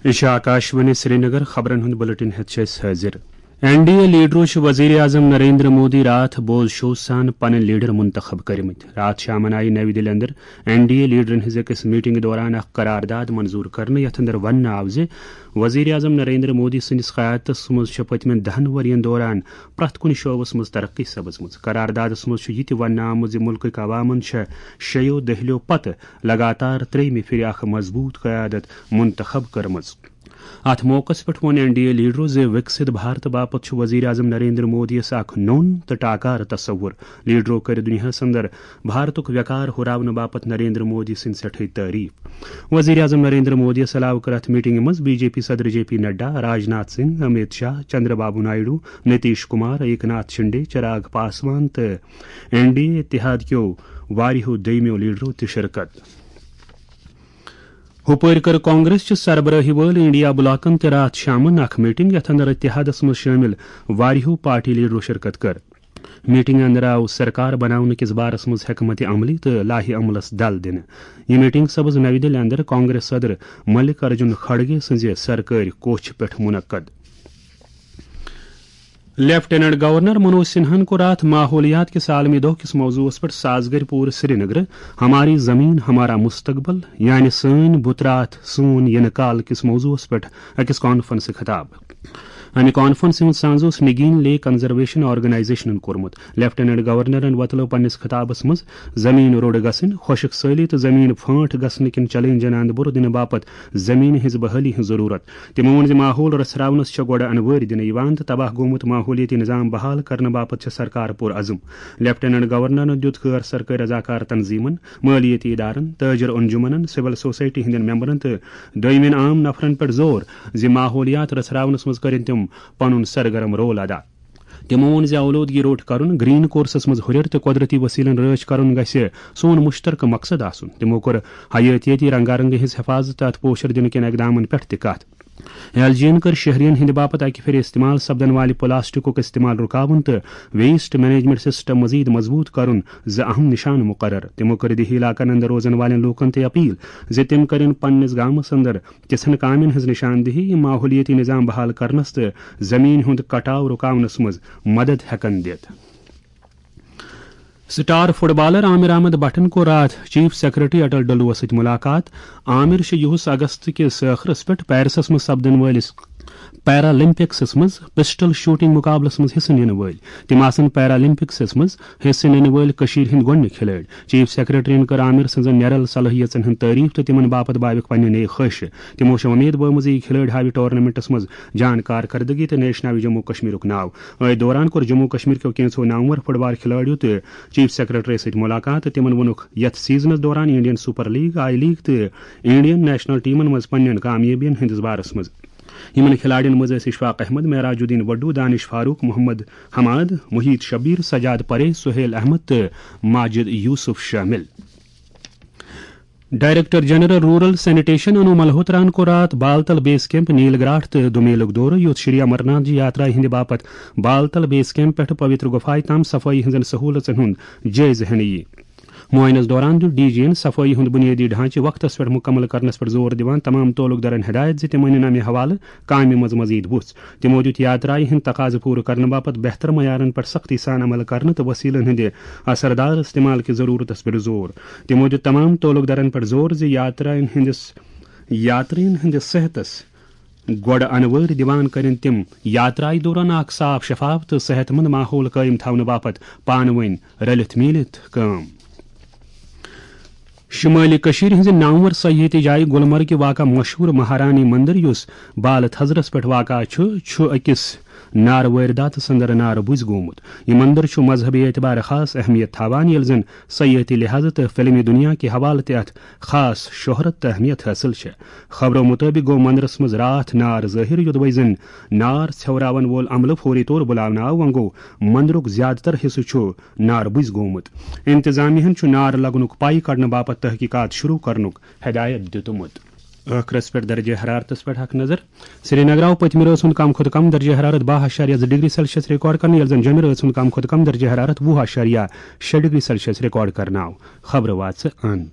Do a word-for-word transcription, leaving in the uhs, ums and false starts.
یہِ چھِ آکاشوانی سرینگر، خبرن ہُنٛد بلیٹن ہٮ۪تھ چھِ أسۍ حٲضِر۔ این ڈی اے لیڈرو چھِ وزیر اعظم نریندر مودی راتھ بوز شو سان پنٕنۍ لیڈر منتخب کٔرمٕتۍ۔ راتھ شامن آیہِ نَوِ دِلہِ اندر این ڈی اے لیڈرن ہٕنٛزِ أکِس میٹنگ دوران اکھ قرارداد منظور کرنہٕ، یتھ اندر وننہٕ آو زِ وزیر اعظم نریندر مودی سٕنٛدِس قیادتس منٛز چھےٚ پٔتمٮ۪ن دَہن ؤرین دوران پرٛٮ۪تھ کُنہِ شعبس منٛز ترقی سپٕزمٕژ۔ قراردادس منٛز چھُ یہِ تہِ وننہٕ آمُت زِ مُلکٕکۍ عوامن چھےٚ شیٚیو دٔہلیو پتہٕ لگاتار ترٛیٚیمہِ پھِرِ اکھ مضبوٗط قیادت منتخب کٔرمٕژ۔ اتھ موقعس پٮ۪ٹھ ووٚن این ڈی اے لیڈرو زِ وِکسِت بھارت باپتھ چھُ وزیر اعظم نریندر مودی یَس اکھ نوٚن تہٕ ٹاکار تصور۔ لیڈرو کٔر دُنیاہس اندر بھارتُک ویقار ہُراونہٕ باپتھ نریندر مودی سٕنٛز سٮ۪ٹھٕے تعریف۔ وزیر اعظم نریندر مودی یَس علاوٕ کٔر اتھ میٹنگہِ منٛز بی جے پی صدر جے پی نڈا، راجناتھ سنگھ، امیت شاہ، چندر بابو نائیڈو، نتیش کمار، ایکناتھ شنڈے، چراغ پاسوان تہٕ این ڈی اے اتحاد کیو واریاہو دوٚیمیو لیڈرو تہِ شرکت۔ ہُپٲرۍ کٔر کانگریس چہِ سربرٲہی وٲلۍ انڈیا بلاکن تہِ راتھ شامن اکھ میٹنگ، یتھ اندر اتحادس منٛز شٲمِل واریاہو پارٹی لیڈرو شرکت کٔر۔ میٹنگ اندر آو سرکار بناونہٕ کِس بارس منٛز حکمت عملی تہٕ لاہہِ عملس دل دِنہٕ۔ یہِ میٹنگ سپٕز نَوِ دِلہِ اندر کانگریس صدر ملک ارجن کھڑگے سٕنٛزِ سرکٲرۍ کوٹھۍ پٮ۪ٹھ منعقد۔ لیفٹیننٹ گورنر منوج سنہاہن کوٚر راتھ ماحولیات کِس عالمی دۄہ کِس موضوعس پٮ۪ٹھ سازگرِ پوٗرٕ سرینگرٕ ہماری زمین ہمارا مستقبل، یعنی سٲنۍ بُتراتھ سون یِنہٕ کال کِس موضوعس پٮ۪ٹھ أکِس کانفرنسہِ خطاب۔ امہِ کانفرنسہِ ہُنٛد سانز اوس نگین لیک کنزرویشن آرگنائزیشنن کوٚرمُت۔ لیفٹیننٹ گورنرن وۄتلٲو پننِس خطابس منٛز زمین روٚڑ گژھٕنۍ، خۄشک سٲلی تہٕ زمین پھٲنٹھ گژھنہٕ کِنۍ چیلنجن اندٕ بُرٕ دِنہٕ باپتھ زمین ہٕنٛز بحالی ہٕنٛز ضروٗرت۔ تِمو ووٚن زِ ماحول رژھراونس چھےٚ گۄڈٕ انوٲرۍ دِنہٕ یِوان تہٕ تباہ گوٚمُت ماحولیٲتی نظام بحال کرنہٕ باپتھ چھےٚ سرکار پُرعزم۔ لیفٹیننٹ گورنرن دیُت غٲر سرکٲرۍ رضاکار تنظیمن، مٲلیٲتی ادارن، تاجر انجمنن، سول سوسائٹی ہٕنٛدٮ۪ن ممبرن تہٕ دوٚیمٮ۪ن عام نفرن پٮ۪ٹھ زور زِ ماحولیات رژھراونس منٛز کٔرِن تِم پنُن سرگرم رول ادا۔ تِمو ووٚن زِ اولودگی روٚٹ کرُن، گرین کورسس منٛز ہُرٮ۪ر تہٕ قۄدرتی وسیلن رٲچھ کرُن گژھِ سون مشترکہٕ مقصد آسُن۔ تِمو کوٚر حیٲتیٲتی رنگا رنگی ہٕنٛز حفاظت تہٕ اتھ پوشر دِنہٕ کٮ۪ن اقدامن پٮ۪ٹھ تہِ کتھ۔ ایل جی ین کٔر شہرین ہٕنٛدِ باپتھ اکہِ پھِرِ استعمال سپدن والہِ پلاسٹکُک استعمال رُکاوُن تہٕ ویسٹ مینجمنٹ سسٹم مزید مضبوط کرُن زٕ اہم نشانہٕ مقرر۔ تِمو کٔر دیہی علاقن اندر روزن والٮ۪ن لوٗکن تہِ اپیل زِ تِم کرن پننِس گامس اندر تِژھن کامٮ۪ن ہٕنٛز نشاندہی یِم ماحولیٲتی نظام بحال کرنس تہٕ زمین ہُنٛد کٹاو رُکاونس منٛز مدد ہٮ۪کن دِتھ۔ Star footballer Aamir Ahmad بٹن کوٚر راتھ چیف سیکرٹری اٹل ڈلوس سۭتۍ ملاقات۔ عامر چھُ یُہُس اگست کِس ٲخرس پٮ۪ٹھ پیرسس منٛز سپدن وٲلِس پیرالمپکسس منٛز پسٹل شوٹنگ مقابلس منٛز حصہٕ نِنہٕ وٲلۍ۔ تِم آسن پیرالمپکسس منٛز حصہٕ نِنہٕ وٲلۍ کٔشیٖرِ ہٕنٛدۍ گۄڈٕنِکۍ کھلٲڑۍ۔ چیف سیکرٹریَن کٔر عامر سٕنٛزن نیرل صلٲحیژن ہٕنٛز تعریف تہٕ تِمن باپتھ بایوکھ پننہِ نیہِ خٲہشہِ۔ تِمو چھےٚ وۄمید بٲومٕژ زِ یہِ کھلٲڑۍ ہاوِ ٹورنامنٹس منٛز جان کارکردگی تہٕ نیشناوِ جموں کشمیرُک ناو۔ أتھۍ دوران کوٚر جموں کشمیر کیو کینٛژھو نامور فٹ بال کھلٲڑیو تہِ چیف سیکرٹری سۭتۍ ملاقات تہٕ تِمن ووٚنُکھ یتھ سیزنس دوران Indian super league, I league تہٕ انڈین نیشنل ٹیمن منٛز پننٮ۪ن کامیٲبین ہٕنٛدِس بارس منٛز۔ یِمن کھلاڑین منٛز ٲسۍ اشفاق احمد، معراج الدین وڈو، دانش فاروق، محمد حماد، محیط شبیر، سجاد پرے، سہیل احمد تہٕ ماجد یوسف شٲمِل۔ ڈائریکٹر جنرل رورل سینیٹیشن انو ملہوتران کوٚر راتھ بالتل بیس کیمپ نیل گراٹھ تہٕ دومیلُک دورٕ، یوٚت شری امرناتھ جی یاترا ہٕنٛدِ باپتھ بالتل بیس کیمپ پٮ۪ٹھٕ پویتر گفایہِ تام صفٲیی ہٕنٛزن سہوٗلژن ہُنٛد جٲیزٕ ہٮ۪نہٕ یِیہِ۔ معائنس دوران دیُت ڈی جی ین صفٲیی ہُنٛد بُنیٲدی ڈھانچہٕ وقتس پٮ۪ٹھ مُکمل کرنس پٮ۪ٹھ زور دِوان تمام تعلق دارن ہدایت زِ تِم انن امہِ حوالہٕ کامہِ منٛز مزید وُژھ۔ تِمو دیُت یاترایہِ ہٕنٛدۍ تقاضہٕ پوٗرٕ کرنہٕ باپتھ بہتر معیارن پٮ۪ٹھ سختی سان عمل کرنہٕ تہٕ وسیلن ہٕنٛدِ اثردار استعمال کہِ ضرورتس پٮ۪ٹھ زور۔ تِمو دیُت تمام تعلق دارن پٮ۪ٹھ زور زِ یاتراین ہٕنٛدِس، یاترین ہٕنٛدِس صحتس گۄڈٕ انوٲرۍ دِوان کٔرِن تِم یاترایہِ دوران اکھ صاف، شفاف تہٕ صحت مند ماحول قٲیِم تھاونہٕ باپتھ پانہٕ ؤنۍ رٔلِتھ میٖلِتھ کٲم۔ شمٲلی کٔشیٖرِ ہٕنٛزِ نامور سیاحتی جایہِ گلمرگ کہِ واقع مشہوٗر مہارانی مندر، یُس بالہٕ تھزرس پٮ۪ٹھ واقع چھُ، چھُ أکِس نارٕ وٲرۍ داتہٕ سٕنٛدر نارٕ بُزۍ گوٚمُت۔ یہِ مندر چھُ مذہبی اعتبارٕ خاص اہمیت تھاوان، ییٚلہِ زن سیاحتی لحاظہٕ تہٕ فلمی دُنیا کہِ حوالہٕ تہِ اتھ خاص شہرت تہٕ اہمیت حٲصِل چھےٚ۔ خبرو مُطٲبِق گوٚو مندرس منٛز راتھ نار ظٲہِر، یوٚدوَے زن نار ژھیوراون وول عملہٕ فوری طور بُلاونہٕ آو۔ وۄنۍ گوٚو، مندرُک زیادٕ تر حصہٕ چھُ نار بُزۍ گوٚمُت۔ انتظامیہ ہن چھُ نار لگنُک پاے کڑنہٕ باپتھ تحقیقات شروع کرنُک ہدایت دِیُتمُت۔ ٲخرس پٮ۪ٹھ درجہ حرارتس پٮ۪ٹھ اکھ نظر۔ سرینگر آو پٔتمہِ رٲژ ہُنٛد کم کھۄتہٕ کم درجہ حرارت باہ اعشاریہ زٕ ڈگری سیلسیس ریکارڈ کرنہٕ، ییٚلہِ زن جیٚمہِ رٲژ ہُنٛد کم کھۄتہٕ کم درجہ حرارت وُہ اعشاریہ شےٚ ڈگری سیلسیس ریکارڈ کرنہٕ آو۔ خبرٕ واژٕ اند۔